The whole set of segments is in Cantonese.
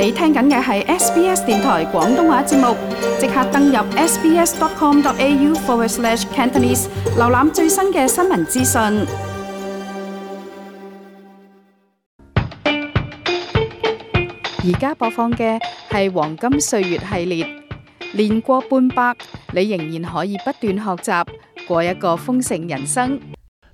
你聽緊嘅係 SBS 電台廣東話節目，即刻登入 sbs.com.au/Cantonese 瀏覽最新嘅新聞資訊。而家播放嘅係黃金歲月系列，年過半百，你仍然可以不斷學習，過一個豐盛人生。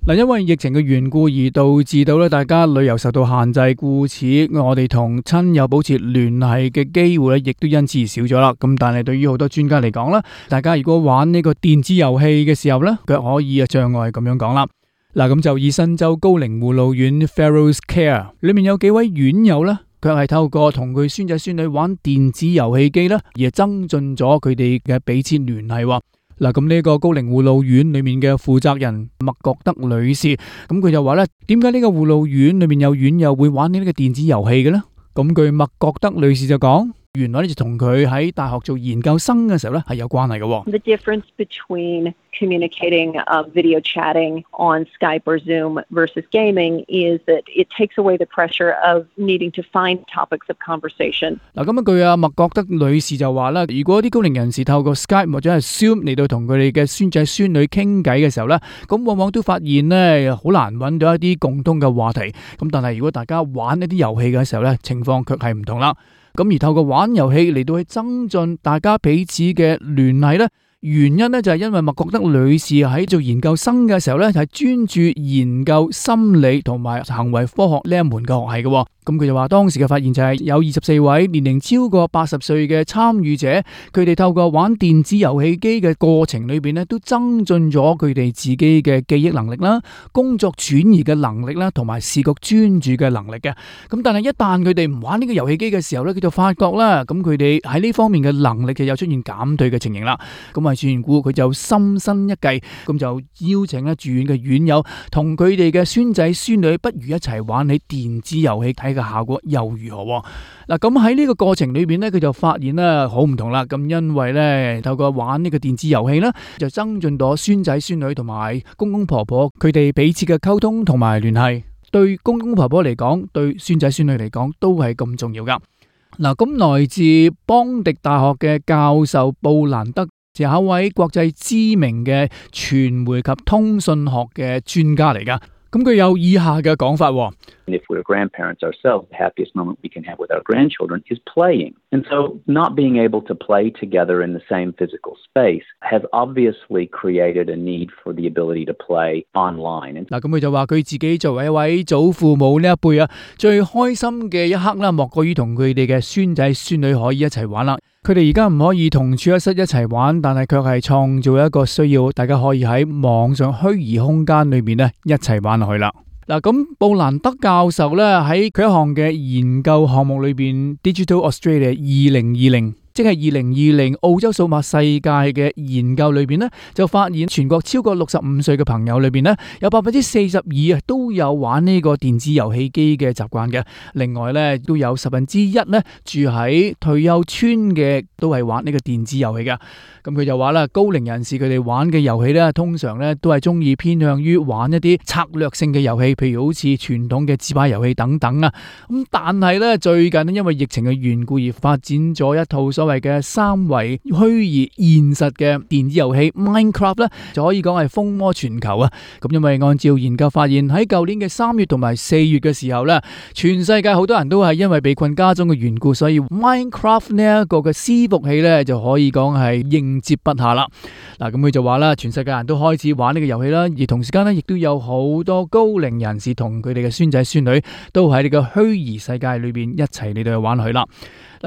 因為疫情嘅緣故而導致到大家旅遊受到限制，故此我哋同親友保持聯繫嘅機會亦都因此而少咗啦。咁但係對於好多專家嚟講啦，大家如果玩呢個電子遊戲嘅時候呢，卻可以障礙咁樣講啦。咁就以新州高齡護老院 Fellows Care 裏面有幾位院友呢，卻係透過同佢孫仔孫女玩電子遊戲機啦，而增進咗佢哋嘅彼此聯繫。咁呢個高齡護老院裏面嘅負責人麥覺德女士，咁佢就話咧，點解呢個護老院裏面有院友會玩呢個電子遊戲嘅呢？咁據麥覺德女士就講，原來就同佢喺大學做研究生嘅時候咧係有關係嘅。The difference between communicating video chatting on Skype or Zoom versus gaming is that it takes away the pressure of needing to find topics of conversation. 咁據麥覺德女士就話啦，如果啲高齡人士透過 Skype 或者係 Zoom 嚟到同佢哋嘅孫仔孫女傾偈嘅時候咧，咁往往都發現咧好難揾到一啲共通嘅話題。咁但係如果大家玩一啲遊戲嘅時候咧，情況卻係唔同啦。咁而透過玩遊戲嚟到去增進大家彼此嘅聯繫咧，原因咧就係因為麥覺德女士喺做研究生嘅時候咧，係專注研究心理同埋行為科學呢一門嘅學系嘅。咁佢就話當時嘅發現就係有24位年齡超過80歲嘅參與者，佢哋透過玩電子遊戲機嘅過程裏邊咧，都增進咗佢哋自己嘅記憶能力啦、工作轉移嘅能力啦，同埋視覺專注嘅能力嘅。咁但係一旦佢哋唔玩呢個遊戲機嘅時候咧，佢就發覺啦，咁佢哋喺呢方面嘅能力就有出現減退嘅情形啦。咁住院故佢就心生一計，咁就邀請住院嘅院友同佢哋嘅孫仔孫女，不如一齊玩起電子遊戲，睇個效果又如何？咁喺呢個過程裏邊呢，佢就發現咧好唔同啦。咁因為呢，透過玩呢個電子遊戲呢，就增進咗孫仔孫女同埋公公婆婆佢哋彼此嘅溝通同埋聯繫。對公公婆婆嚟講，對孫仔孫女嚟講都係咁重要噶。咁來自邦迪大學嘅教授布蘭德，就係一位國際知名嘅傳媒及通訊學嘅專家嚟噶，咁佢有以下嘅講法。If we're grandparents ourselves, the happiest moment we can have with our grandchildren is playing. And so not being able to play together in the same physical space has obviously created a need for the ability to play online. 咁佢就話佢自己作為一位祖父母呢一輩啊，最開心嘅一刻啦，莫過於同佢哋嘅孫仔孫女可以一齊玩啦。佢哋而家唔可以同處一室一齊玩，但係卻係創造一個需要，大家可以喺網上虛擬空間裏面咧一齊玩落去啦。咁布蘭德教授咧喺佢一項嘅研究項目裏邊 Digital Australia 2020，即係2020澳洲數碼世界嘅研究裏邊呢，就發現全國超過65歲嘅朋友裏邊呢，有42%都有玩呢個電子遊戲機嘅習慣嘅。另外呢，都有1%呢住喺退休村嘅，都係玩呢個電子遊戲嘅。咁佢就話啦，高齡人士佢哋玩嘅遊戲呢，通常呢都係中意偏向於玩一啲策略性嘅遊戲，譬如好似傳統嘅紙牌遊戲等等啊。咁但係呢，最近因為疫情嘅緣故而發展咗一套所謂嘅3維虛擬現實嘅電子遊戲 Minecraft 咧，就可以講係風靡全球啊！咁因為按照研究發現，喺舊年嘅3月同埋4月嘅時候咧，全世界好多人都係因為被困家中嘅緣故，所以 Minecraft 呢一個嘅伺服器咧就可以講係應接不暇啦。咁佢就話啦，全世界人都開始玩呢個遊戲啦，而同時間咧亦都有好多高齡人士同佢哋嘅孫仔孫女都喺呢個虛擬世界裏邊一齊嚟到去玩佢啦。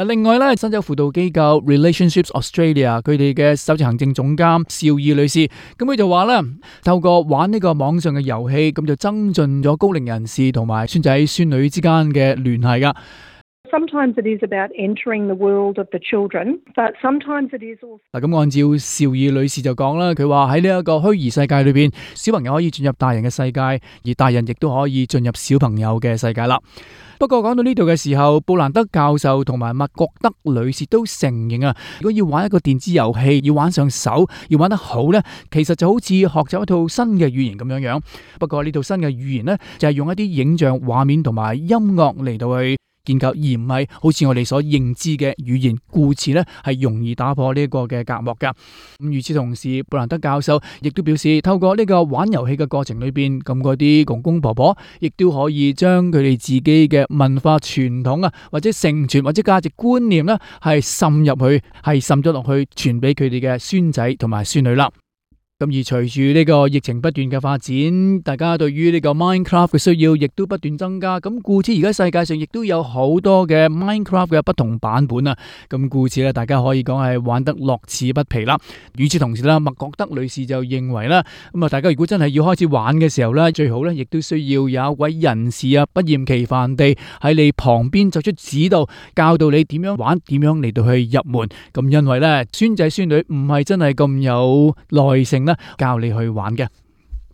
另外咧，新州輔導機構 Relationships Australia 佢哋嘅首席行政總監邵義女士，咁佢就話咧，透過玩呢個網上嘅遊戲，咁就增進咗高齡人士同埋孫仔孫女之間嘅聯繫噶。Sometimes it is about entering the world of the children, but sometimes it is also 咁按照邵義女士就講啦，佢話喺呢一個虛擬世界裏邊，小朋友可以進入大人嘅世界，而大人亦都可以進入小朋友嘅世界啦。不過講到呢度嘅時候，布蘭德教授同埋麥覺德女士都承認啊，如果要玩一個電子遊戲，要玩上手，要玩得好呢，其實就好似學習一套新嘅語言咁樣樣。不過呢套新嘅語言呢，就係用一啲影像、畫面同埋音樂嚟到去建構，而唔係好似我哋所認知嘅語言，故此呢係容易打破呢個嘅隔膜噶。咁與此同時，布蘭德教授亦都表示，透過呢個玩遊戲嘅過程裏邊，咁嗰啲公公婆婆亦都可以將佢哋自己嘅文化傳統啊，或者承傳或者價值觀念呢，係滲入去，係滲咗落去，傳俾佢哋嘅孫仔同埋孫女啦。咁而隨住呢個疫情不斷嘅發展，大家對於呢個 Minecraft 嘅需要亦都不斷增加。咁故此而家世界上亦都有好多嘅 Minecraft 嘅不同版本啊。咁故此咧，大家可以講係玩得樂此不疲啦。與此同時啦，麥覺德女士就認為啦，咁啊，大家如果真係要開始玩嘅時候咧，最好咧亦都需要有一位人士啊，不厭其煩地喺你旁邊作出指導，教導你點樣玩，點樣嚟到去入門。咁因為咧，孫仔孫女唔係真係咁有耐性教你去玩嘅，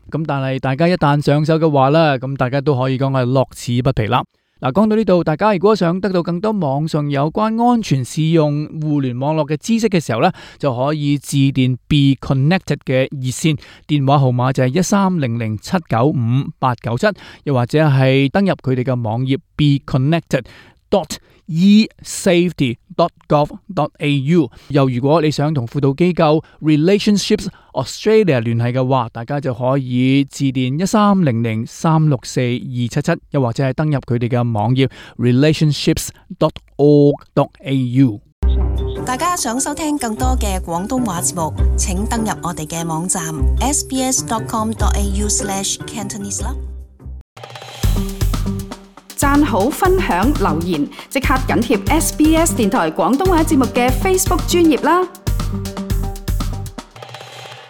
咁但係大家一旦上手嘅話呢，咁大家都可以講係樂此不疲啦。嗱，講到呢度，大家如果想得到更多網上有關安全使用互聯網絡嘅知識嘅時候呢，就可以致電 Be Connected 嘅熱線，電話號碼就係1300795897，又或者係登入佢哋嘅網頁 beconnected.esafety.gov.au。 又如果你想同輔導機構 Relationships Australia 聯繫嘅話，大家就可以致電1300364277，又或者係登入佢哋嘅網頁 relationships.org.au。 大家想收聽更多嘅廣東話節目，請登入我哋嘅網站 sbs.com.au/cantonese 啦。讚好、分享、留言，即刻緊貼SBS 電台廣東話節目嘅 Facebook 專頁啦！